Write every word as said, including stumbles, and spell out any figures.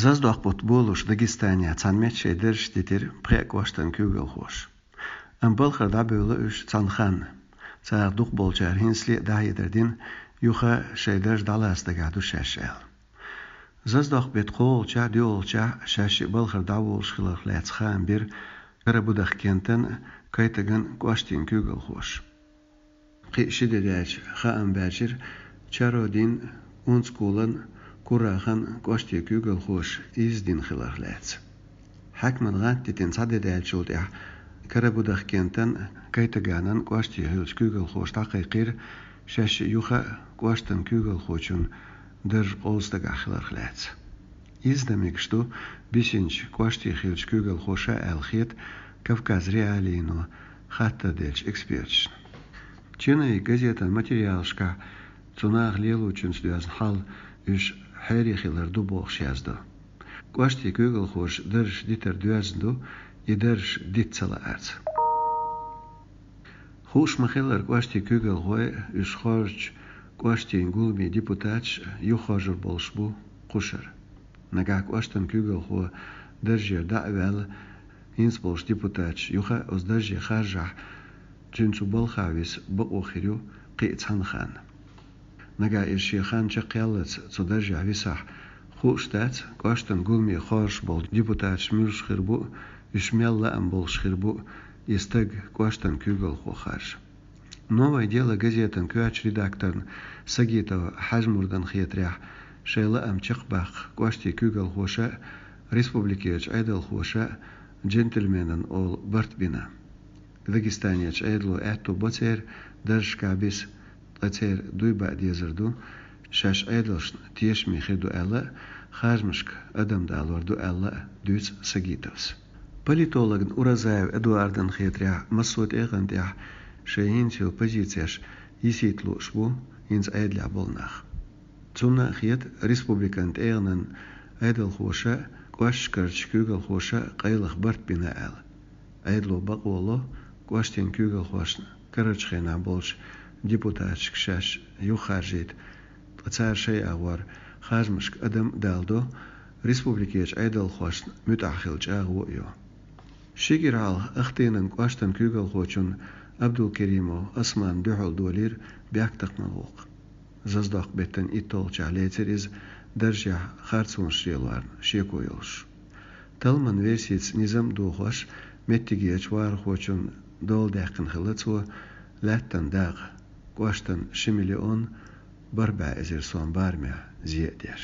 Заздокъ бутт болуш Дагестане цхьана метте шайн дарж дитира пхеа кӀоштан куьйгалхоша. Амма балхара дӀабевлла уьш цхьана ханна. Царах дукхахболчара хӀинцале а дӀахьедар дина, юха шайн дарж дӀалаца дагахь ду шаьш аьлла. Заздокъ беттан кхоалгӀачохь, доьалгӀачохь шаьш шиъ балхара дӀаволуш хиларх лаьцна хаам бира Карабудахкентан а, Кайтаган а кӀоштийн куьйгалхоша. Кхин а ши де даьлча хаам баьржира Чародин, Унцкулан, Курахан кӀоштийн куьйгалхоша изза дина хиларх лаьцна. Хьаькаман гӀант дитина цхьа де даьллачул тӀаьхьа Карабудахкентан а, Кайтаганан а кӀоштий хиллачу куьйгалхоша дӀакхайкхийра шаьш шиъ юха а кӀоштан куьйгалхочун дарж къовса дагахь хиларх лаьцна. Изза дан мегаш ду бисинчу кӀоштий хиллачу куьйгалхоша аьлла хета Кавказ.Реалиино хаттар деллачу эксперташна. «Черновик» газетан материалашкахь цу наха лелочуьнца доьзна хьал уьш хьерий хилар ду бохуш яздо. КӀоштийн куьйгалхоша дарж дитар доьзна ду, и дарж дита ца лаарца. Хууш ма-хиллара, кӀоштийн куьйгалхой а, уьш хоржучу кӀоштийн гуламийн депутаташ а юхахоржур болуш бу кхушара. Нагахь кӀоштан куьйгалхо даржера дӀа а ваьлла, хӀинца болчу депутаташа юха а оцу дарже харжахь, цуьнан цу балхахь виса бакъо хир ю кхин а цхьана ханна. Нагахь иза шен хан чекхъяллалц цу даржехь висахь, хууш дац, кӀоштан гуламе хоржуш болу депутаташ муьлш хир бу а, уьш мел лаам болуш хир бу а, и стаг кӀоштан куьйгалхо харжа. «Новое дело» газетан коьртачу редакторна Сагитова Хьаьжмурдана хетарехь, шайн лаам чекхбаккха кӀоштийн куьйгалхоша а, республикерчу Ӏедалхоша а «джентльменан» олу барт бина. Дагестанерчу Ӏедало аьтто бо церан даржашкахь биса, ткъа церан дуй баа дезар ду, шаьш Ӏедалшна тешаме хир ду аьлла а, харжамашка адам далор ду аьлла а дуьйцу Сагитовас. Политологна Уразаева Эдуардана хетарехь, массо а тӀегӀан тӀехь шайн хӀинца йолу позицеш йисийта лууш бу хӀинца Ӏедалехь болу нах. Цунна а хета республикан тӀегӀанан Ӏедалхоша а, кӀошташкарчу куьйгалхоша а къайлаха барт бина аьлла. Ӏедало бакъо ло кӀоштийн куьйгалхошна карарчу хенахь болчу депутаташка шаьш юхахаржийта, ткъа цара шайн агӀор харжамашка адам а даладо, республикерчу Ӏедалхошна муьтӀахь хила чӀагӀо а йо. Ши кӀира хьалха Ахтынан кӀоштан куьйгалхочунна Абдулкеримов Османна дуьхьал долийра бехктакхаман гӀуллакх. Заздокъ беттан итталгӀачохь лецира иза, даржехь харцонаш лелорна шеко йолуш. Талламан версица низам а дохош, меттигерчу вахархочунна дола даьккхина хилла цо лаьттан дакъа, кӀоштан ши миллион бархӀ бӀе эзар сом барамехь зе а деш.